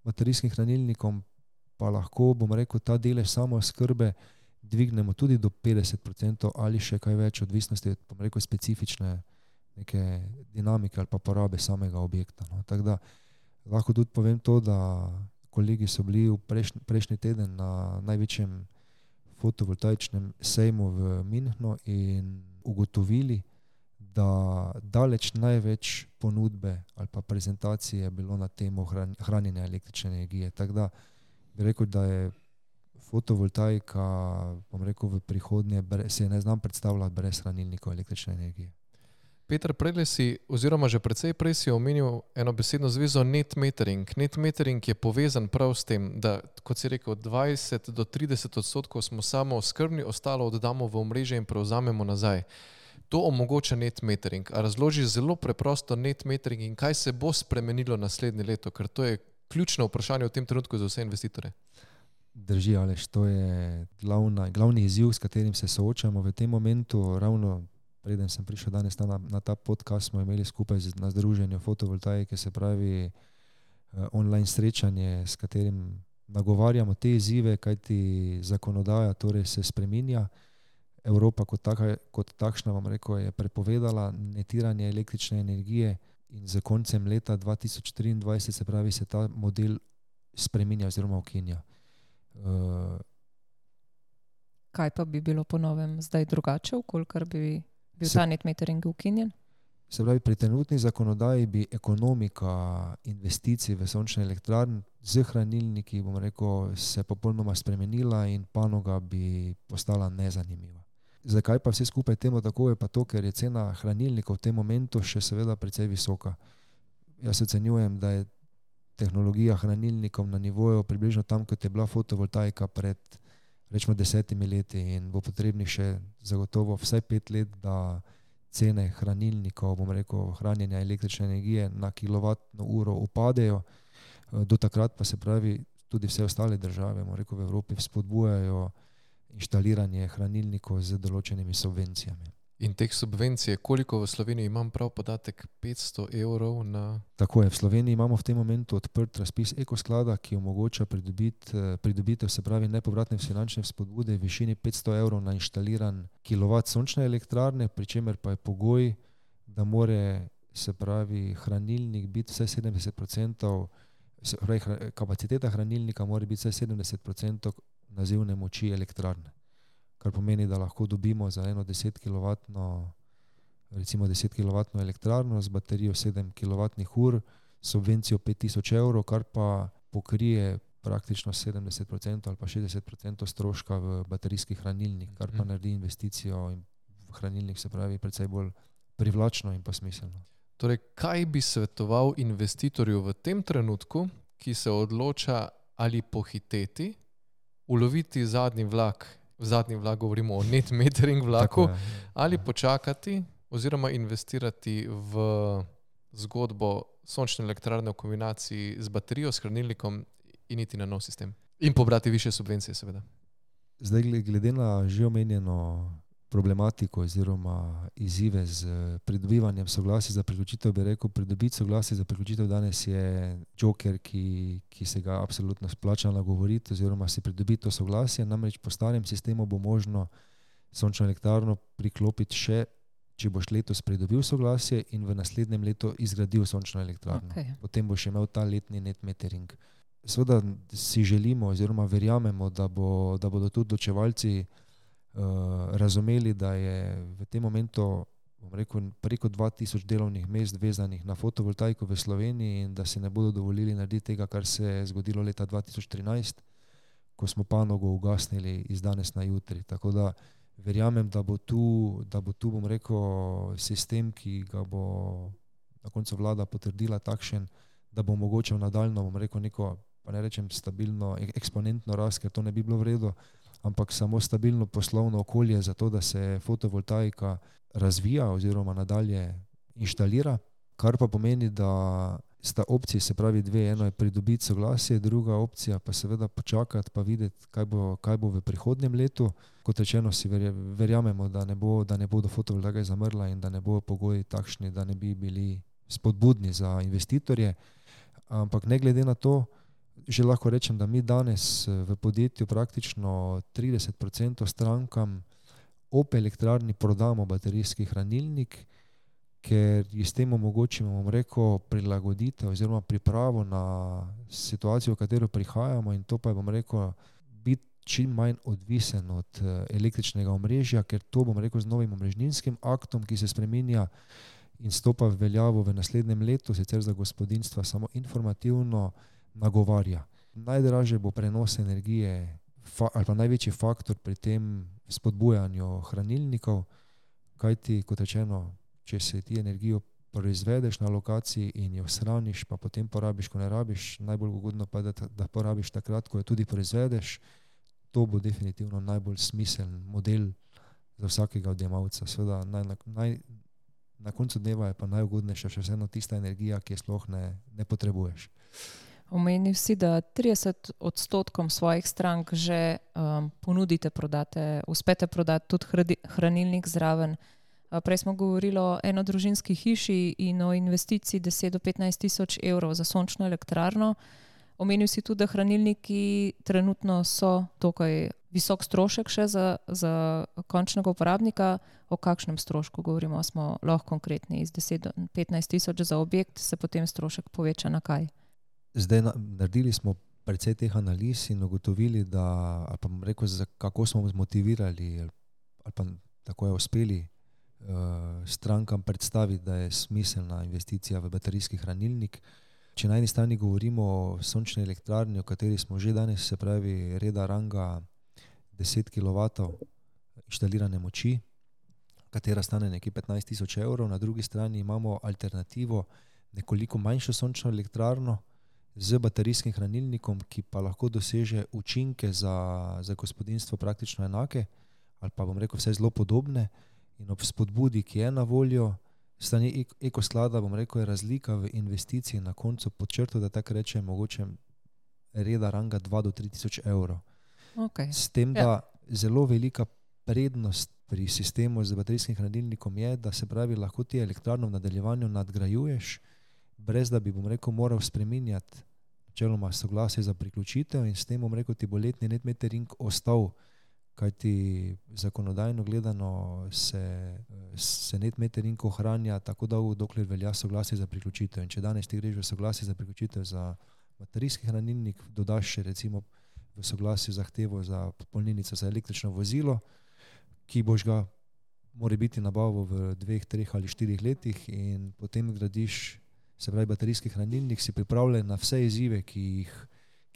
S1: baterijskim hranilnikom, pa lahko, bom rekel, ta delež samooskrbe dvignemo tudi do 50% ali še kaj več, odvisnosti od, bom rekel, specifične neke dinamike ali pa porabe samega objekta. No. Tako da lahko tudi povem to, da kolegi so bili v prejšnji teden na največjem fotovoltaičnem sejmu v Münchnu in ugotovili, da daleč največ ponudbe ali pa prezentacije je bilo na temo hranjenja električne energije. Tako da bi rekel, da je fotovoltaika, bom rekel, v prihodnje se ne znam predstavljati brez hranilnikov električne energije.
S3: Peter, predlej si, oziroma že precej prej si omenil eno besedno zvezo net metering. Net metering je povezan prav s tem, da, kot si rekel, 20 do 30% smo samooskrbni, ostalo oddamo v omrežje in prevzamemo nazaj. To omogoča net metering. A razloži zelo preprosto net metering in kaj se bo spremenilo naslednje leto, ker to je ključno vprašanje v tem trenutku za vse investitore.
S1: Drži, Aleš, to je glavni izziv, s katerim se soočamo v tem momentu. Ravno preden sem prišel danes na ta podcast, smo imeli skupaj na združenju fotovoltaike, se pravi online srečanje, s katerim nagovarjamo te izzive, kajti zakonodaja torej se spreminja. Evropa kot takšna, vam rekel, je prepovedala netiranje električne energije in z koncem leta 2023, se pravi, se ta model spreminja oziroma ukinja.
S5: Kaj pa bi bilo po novem zdaj drugače, kolikor bi bil ta net metering ukinjen?
S1: Se pravi, pri trenutni zakonodaji bi ekonomika investicij v sončne elektrarne z hranilniki, bom rekel, se popolnoma spremenila in panoga bi postala nezanimiva. Zakaj pa vse skupaj temu tako je pa to, ker je cena hranilnikov v tem momentu še seveda precej visoka. Jaz ocenjujem, da je tehnologija hranilnikov na nivoju približno tam, kot je bila fotovoltaika pred rečemo 10 leti in bo potrebnih še zagotovo vsaj 5 let, da cene hranilnikov, bom rekel, hranjenja električne energije na kilovatno uro upadejo. Do takrat pa se pravi tudi vse ostale države, bom rekel, v Evropi spodbujajo inštaliranje hranilnikov z določenimi subvencijami.
S3: In teh subvencij, koliko v Sloveniji, imam prav podatek, 500 evrov na...
S1: Tako je, v Sloveniji imamo v tem momentu odprt razpis Ekosklada, ki omogoča pridobitev, se pravi nepovratne finančne spodbude v višini 500 evrov na inštaliran kilovat sončne elektrarne, pri čemer pa je pogoj, da more, se pravi, hranilnik biti vsaj 70%, se pravi, kapaciteta hranilnika mora biti vsaj 70% nazivne moči elektrarne. Kar pomeni, da lahko dobimo za eno 10 kW elektrarno z baterijo 7 kWh subvencijo 5000 evrov, kar pa pokrije praktično 70% ali pa 60% stroška v baterijski hranilnik, kar pa naredi investicijo in v hranilnik, se pravi, precej bolj privlačno in pa smiselno.
S3: Torej, kaj bi svetoval investitorju v tem trenutku, ki se odloča ali pohiteti, uloviti zadnji vlak, v zadnji vlak govorimo o net metering vlaku, ali počakati oziroma investirati v zgodbo sončne elektrarne v kombinaciji z baterijo, s hranilnikom in iti na nov sistem. In pobrati više subvencije, seveda.
S1: Zdaj, glede na že omenjeno problematiko oziroma izzive z pridobivanjem soglasij za priključitev, bi rekel, pridobiti soglasje za priključitev danes je joker, ki se ga absolutno splača nagovoriti oziroma si pridobiti to soglasje. Namreč po starem sistemu bo možno sončno elektrarno priklopiti še, če boš letos pridobil soglasje in v naslednjem letu izgradil sončno elektrarno.
S5: Okay.
S1: Potem boš imel ta letni net metering. Seveda si želimo oziroma verjamemo, da bodo tudi odločevalci razumeli, da je v tem momentu, bom rekel, preko 2000 delovnih mest vezanih na fotovoltaiko v Sloveniji in da se ne bodo dovolili narediti tega, kar se je zgodilo leta 2013, ko smo panogo ugasnili iz danes na jutri. Tako da verjamem, da bo tu, bom rekel, sistem, ki ga bo na koncu vlada potrdila takšen, da bo omogočal nadaljno, bom rekel, neko, pa ne rečem stabilno, eksponentno rast, ker to ne bi bilo v redu, ampak samo stabilno poslovno okolje za to, da se fotovoltaika razvija oziroma nadalje inštalira, kar pa pomeni, da sta opciji, se pravi dve, eno je pridobiti soglasje, druga opcija pa seveda počakati pa videti, kaj bo v prihodnjem letu. Kot rečeno, si verjamemo, da ne bodo fotovoltaika zamrla in da ne bodo pogoji takšni, da ne bi bili spodbudni za investitorje. Ampak ne glede na to, že lahko rečem, da mi danes v podjetju praktično 30% strankam ob elektrarni prodamo baterijski hranilnik, ker s tem omogočimo, bom rekel, prilagoditev oziroma pripravo na situacijo, v katero prihajamo, in to pa je, bom rekel, biti čim manj odvisen od električnega omrežja, ker to, bom rekel, z novim omrežninskim aktom, ki se spreminja in stopa v veljavo v naslednjem letu, sicer za gospodinjstva samo informativno, nagovarja. Najdražje bo prenos energije ali pa največji faktor pri tem spodbujanju hranilnikov, kajti, kot rečeno, če se ti energijo proizvedeš na lokaciji in jo shraniš, pa potem porabiš, ko ne rabiš, najbolj ugodno pa je, da porabiš takrat, ko jo tudi proizvedeš. To bo definitivno najbolj smiseln model za vsakega odjemalca. Seveda na koncu dneva je pa najugodnejša še vseeno tista energija, ki je sploh ne potrebuješ.
S5: Omenil si, da 30% svojih strank že ponudite, uspete prodati tudi hranilnik zraven. Prej smo govorili o enodružinski hiši in o investiciji 10 do 15 tisoč evrov za sončno elektrarno. Omenil si tudi, da hranilniki trenutno so tukaj visok strošek še za končnega uporabnika. O kakšnem strošku govorimo? Smo lahko konkretni, iz 10 do 15 tisoč za objekt se potem strošek poveča na kaj?
S1: Zdaj naredili smo precej teh analiz in ugotovili, da, ali pa bom rekel, kako smo zmotivirali ali pa tako je uspeli strankam predstaviti, da je smiselna investicija v baterijski hranilnik. Če na eni strani govorimo o sončni elektrarni, o kateri smo že danes, se pravi reda ranga 10 kW inštalirane moči, katera stane nekje 15 tisoč evrov, na drugi strani imamo alternativo, nekoliko manjšo sončno elektrarno z baterijskim hranilnikom, ki pa lahko doseže učinke za gospodinjstvo praktično enake, ali pa bom rekel vse zelo podobne. In ob spodbudi, ki je na voljo, strani Ekosklada, bom rekel, je razlika v investiciji na koncu pod črto, da tako rečem, mogoče reda ranga 2 do 3 tisoč evrov.
S5: Okay.
S1: S tem, da zelo velika prednost pri sistemu z baterijskim hranilnikom je, da se pravi, lahko ti elektrarno v nadaljevanju nadgrajuješ, brez da bi, bom rekel, moral spreminjati načeloma soglasje za priključitev, in s tem, bom rekel, ti bo letni net metering ostal, kajti zakonodajno gledano se net metering ohranja tako dolgo, dokler velja soglasje za priključitev. In če danes ti greš v soglasje za priključitev za baterijski hranilnik, dodaš še recimo v soglasju zahtevo za polnilnico za električno vozilo, ki boš ga mora biti nabavo v 2, 3 ali 4 letih, in potem gradiš, se pravi baterijski hranilnik, si pripravljen na vse izzive, ki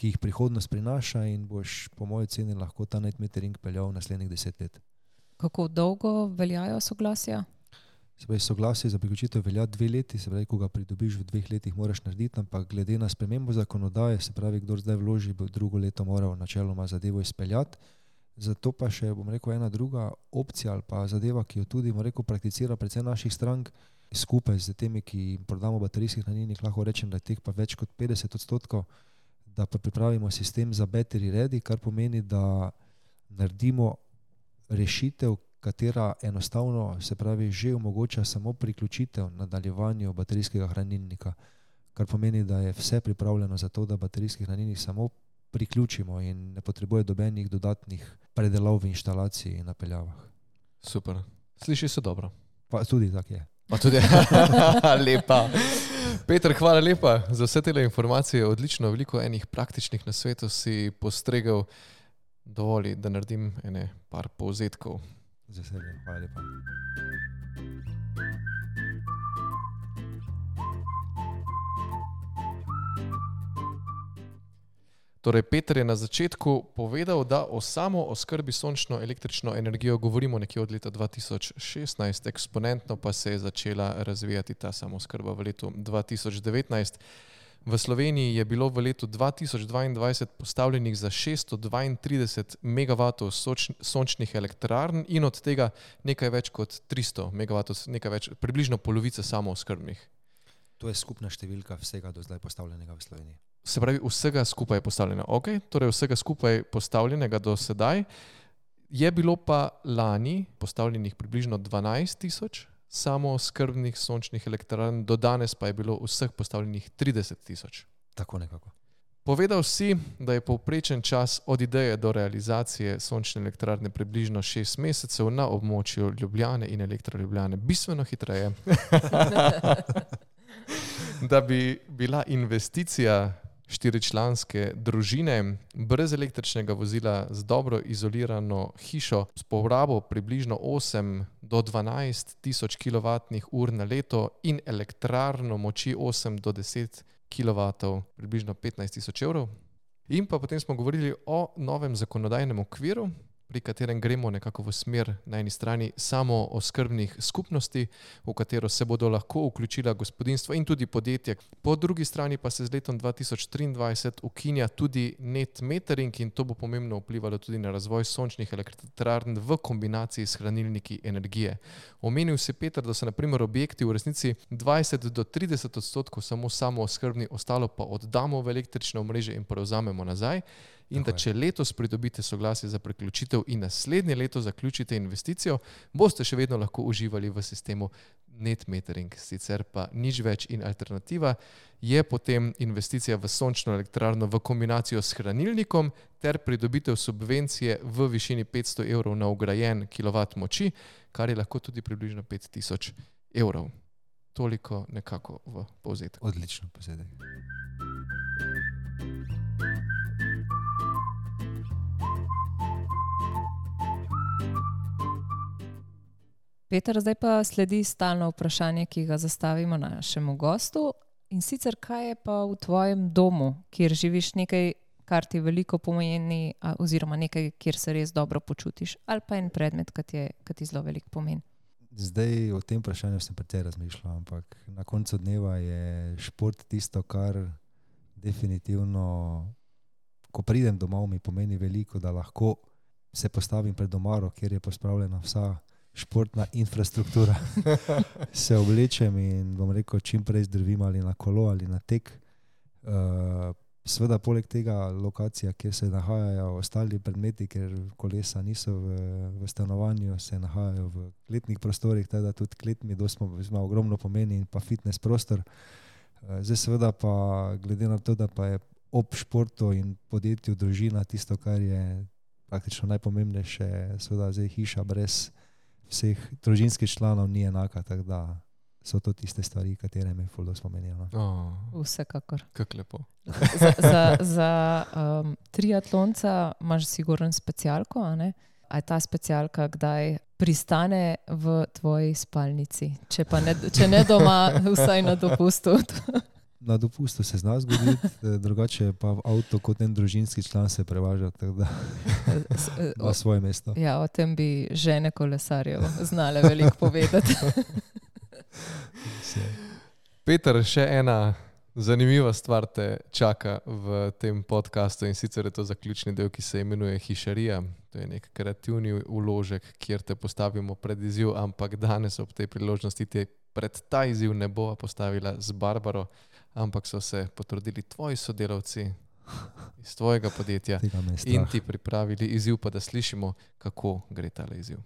S1: jih prihodnost prinaša, in boš po moji ceni lahko ta net metering peljal naslednjih 10 let.
S5: Kako dolgo veljajo soglasja?
S1: Se pravi, soglasje za priključitev velja 2 leti, se pravi, ko ga pridobiš v 2 letih moraš narediti, ampak glede na spremembo zakonodaje, se pravi, kdor zdaj vloži, bo drugo leto moral načeloma zadevo izpeljati. Zato pa še, bom rekel, ena druga opcija ali pa zadeva, ki jo tudi, bom rekel, prakticira predvsem naših strank, skupaj z temi, ki jim prodamo baterijski hranilnik, lahko rečem, da je teh pa več kot 50%, da pa pripravimo sistem za battery ready, kar pomeni, da naredimo rešitev, katera enostavno, se pravi, že omogoča samo priključitev nadaljevanju baterijskega hranilnika, kar pomeni, da je vse pripravljeno za to, da baterijski hranilnik samo priključimo in ne potrebuje dobenih dodatnih predelav v inštalaciji in napeljavah.
S3: Super. Sliši se dobro.
S1: Pa tudi tak je.
S3: Pa tudi, lepa. Peter, hvala lepa za vse te informacije, odlično, veliko enih praktičnih nasvetov si postregel. Dovoli, da naredim par povzetkov.
S1: Z veseljem, hvala lepa.
S3: Torej, Peter je na začetku povedal, da o samo oskrbi sončno električno energijo govorimo nekje od leta 2016, eksponentno pa se je začela razvijati ta samooskrba v letu 2019. V Sloveniji je bilo v letu 2022 postavljenih za 632 MW sončnih elektrarn in od tega nekaj več kot 300 MW, približno polovica samooskrbnih.
S1: To je skupna številka vsega do zdaj postavljenega v Sloveniji.
S3: Se pravi, vsega skupaj je postavljeno. Okay, torej vsega skupaj postavljenega do sedaj. Je bilo pa lani postavljenih približno 12 tisoč samooskrbnih sončnih elektrarn, do danes pa je bilo vseh postavljenih 30 tisoč.
S1: Tako nekako.
S3: Povedal si, da je povprečen čas od ideje do realizacije sončne elektrarne približno 6 mesecev, na območju Ljubljane in Elektro Ljubljane bistveno hitreje. Da bi bila investicija 4-članske družine brez električnega vozila z dobro izolirano hišo s porabo približno 8 do 12 tisoč kWh na leto in elektrarno moči 8 do 10 kW, približno 15 tisoč evrov. In pa potem smo govorili o novem zakonodajnem okviru, pri katerem gremo nekako v smer na eni strani samooskrbnih skupnosti, v katero se bodo lahko vključila gospodinjstva in tudi podjetja. Po drugi strani pa se z letom 2023 ukinja tudi net metering in to bo pomembno vplivalo tudi na razvoj sončnih elektrarn v kombinaciji s hranilniki energije. Omenil si, Peter, da so na primer objekti v resnici 20 do 30% samo samooskrbni, ostalo pa oddamo v električno omrežje in prevzamemo nazaj. In da če letos pridobite soglasje za priključitev in naslednje leto zaključite investicijo, boste še vedno lahko uživali v sistemu net metering. Sicer pa nič več in alternativa je potem investicija v sončno elektrarno v kombinacijo s hranilnikom ter pridobitev subvencije v višini 500 evrov na vgrajen kilovat moči, kar je lahko tudi približno 5000 evrov. Toliko nekako v povzetku.
S1: Odlično povzetek.
S5: Peter, zdaj pa sledi stalno vprašanje, ki ga zastavimo našemu gostu. In sicer, kaj je pa v tvojem domu, kjer živiš, nekaj, kar ti veliko pomeni, oziroma nekaj, kjer se res dobro počutiš, ali pa en predmet, ki ti zelo veliko pomeni?
S1: Zdaj o tem vprašanju sem precej razmišljal, ampak na koncu dneva je šport tisto, kar definitivno, ko pridem domov, mi pomeni veliko, da lahko se postavim pred omaro, kjer je pospravljena vsa športna infrastruktura. Se oblečem in bom rekel, čim prej zdrvim ali na kolo ali na tek. Seveda poleg tega lokacija, kjer se nahajajo ostali predmeti, ker kolesa niso v stanovanju, se nahajajo v kletnih prostorih, teda tudi klet mi ogromno pomeni in pa fitness prostor. Zdaj seveda pa glede na to, da pa je ob športu in podjetju družina tisto, kar je praktično najpomembnejše, seveda zdaj hiša brez vseh družinskih članov ni enaka, tako da so to tiste stvari, katere me ful spomenijo.
S5: Vsekakor.
S3: Kako lepo.
S5: Za triatlonca imaš sigurno specialko, a ne? A je ta specialka kdaj pristane v tvoji spalnici? Če ne doma, vsaj na dopustu.
S1: Na dopustu se zna zgoditi, drugače pa v avto kot en družinski član se prevaža, tako da na svoje mesto.
S5: Ja, o tem bi žene kolesarjev znale veliko povedati.
S3: Peter, še ena zanimiva stvar te čaka v tem podcastu in sicer je to zaključni del, ki se imenuje Hišarija. To je nek kreativni vložek, kjer te postavimo pred izziv, ampak danes ob tej priložnosti te pred ta izziv ne bova postavila z Barbaro, ampak so se potrudili tvoji sodelavci iz tvojega podjetja in ti pripravili izziv, pa da slišimo, kako gre tale izziv.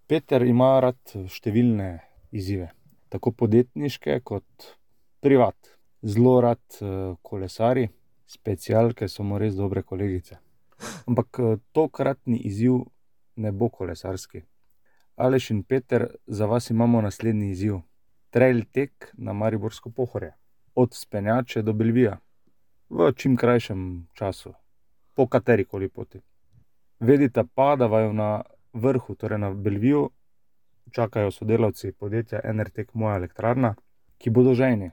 S6: Peter ima rad številne izzive, tako podjetniške kot privat. Zelo rad kolesari, specialke so mu res dobre kolegice. Ampak tokratni izziv ne bo kolesarski. Aleš in Peter, za vas imamo naslednji izziv. Trail tek na Mariborsko Pohorje. Od Spenjače do Belvija. V čim krajšem času. Po katerikoli poti. Vedite pa, da vaju na vrhu, torej na Belviju, čakajo sodelavci podjetja Enertek Moja elektrarna, ki bodo žejni.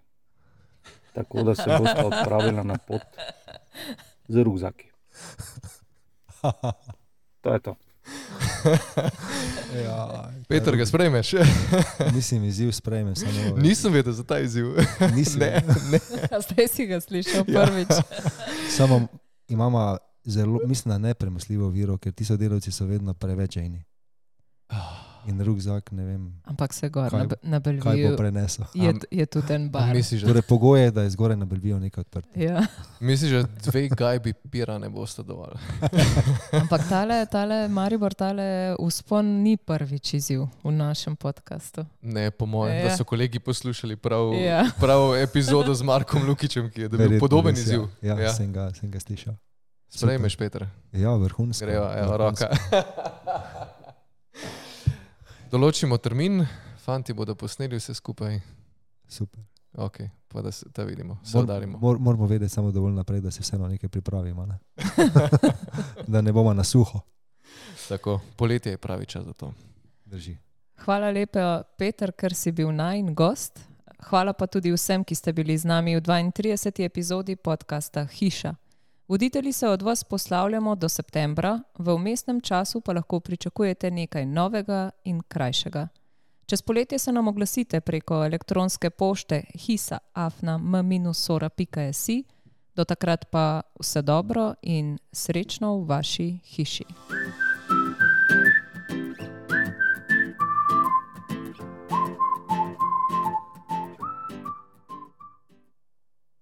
S6: Tako da se boste odpravili na pot z rukzaki. To je to.
S1: Ja,
S3: Peter, ga sprejmeš?
S1: Mislim, izziv sprejme. Samo,
S3: Nisem vedel za ta izziv.
S1: nisem,
S5: Zdaj si ga slišal prvič.
S1: Samo imamo zelo, mislim, da nepremostljivo viro, ker ti sodelavci so vedno preveč žejni. In rukzak, ne vem,
S5: Ampak se gor
S1: Kaj-
S5: na
S1: kaj bo
S5: Belviju
S1: prenesel.
S5: je tudi en bar.
S3: Misliš,
S1: Torej, pogoj je, da je zgoraj na Belviju nekaj odprto.
S5: Ja.
S3: da 2 gajbi pira ne boste dovolj?
S5: Ampak tale Maribor, tale vzpon ni prvič izziv v našem podkastu.
S3: Ne, po mojem,
S5: Ja.
S3: da so kolegi poslušali prav,
S5: Ja.
S3: prav epizodo z Markom Lukičem, ki je dobil
S1: Verjetno
S3: podoben
S1: res,
S3: izziv.
S1: Ja,
S3: Ja.
S1: sem ga slišal.
S3: Sprejmeš, Peter.
S1: Ja, vrhunsko.
S3: Greva, evo,
S1: vrhunsko.
S3: roka. Določimo termin, fanti bodo posneli vse skupaj.
S1: Super.
S3: Ok, pa da se ta vidimo, se udarimo.
S1: Moramo vedeti samo dovolj naprej, da se vseeno nekaj pripravimo. Ne? Da ne bomo na suho.
S3: Tako, poletje je pravi čas za to.
S1: Drži.
S5: Hvala lepa, Peter, ker si bil najin gost. Hvala pa tudi vsem, ki ste bili z nami v 32. epizodi podcasta Hiša. Voditelji se od vas poslavljamo do septembra, v vmesnem času pa lahko pričakujete nekaj novega in krajšega. Čez poletje se nam oglasite preko elektronske pošte hisa@m-sora.si. Do takrat pa vse dobro in srečno v vaši hiši.